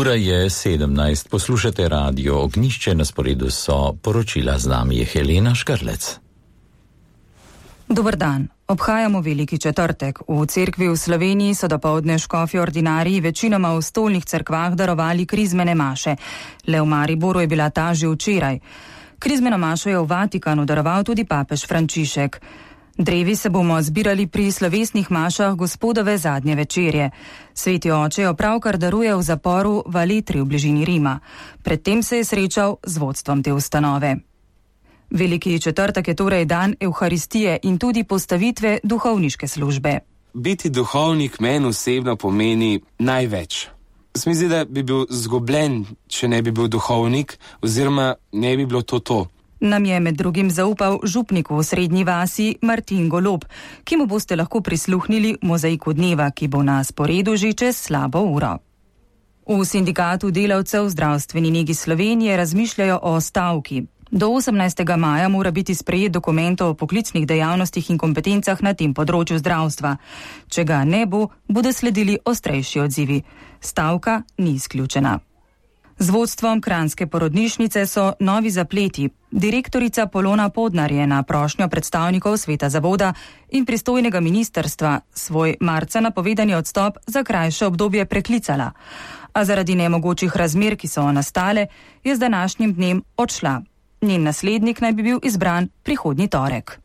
Ura je 17, poslušate radio Ognjišče, na sporedu so poročila, z nami je Helena Škrlec. Dober dan. Obhajamo Veliki četrtek. V cerkvi v Sloveniji so dopoldne škofje ordinariji večinoma v stolnih cerkvah darovali krizmene maše. Le v Mariboru je bila ta že včeraj. Krizmeno mašo je v Vatikanu daroval tudi papež Frančišek. Drevi se bomo zbirali pri slovesnih mašah Gospodove zadnje večerje. Sveti oče jo pravkar daruje v zaporu v Aletri v bližini Rima. Predtem se je srečal z vodstvom te ustanove. Veliki četrtek je torej dan Evharistije in tudi postavitve duhovniške službe. Biti duhovnik meni osebno pomeni največ. Se mi zdi, da bi bil zgubljen, če ne bi bil duhovnik, oziroma ne bi bilo to. Nam je med drugim zaupal župnik v Srednji vasi Martin Golob, ki mu boste lahko prisluhnili v mozaiku dneva, ki bo na sporedu že čez slabo uro. V Sindikatu delavcev zdravstveni negi Slovenije razmišljajo o stavki. Do 18. maja mora biti sprejet dokument o poklicnih dejavnostih in kompetencah na tem področju zdravstva. Če ga ne bo, bodo sledili ostrejši odzivi. Stavka ni izključena. Z vodstvom kranjske porodnišnice so novi zapleti. Direktorica Polona Podnar je na prošnjo predstavnikov sveta zavoda in pristojnega ministrstva svoj marca napovedani odstop za krajše obdobje preklicala. A zaradi nemogočih razmer, ki so nastale, je z današnjim dnem odšla. Njen naslednik naj bi bil izbran prihodnji torek.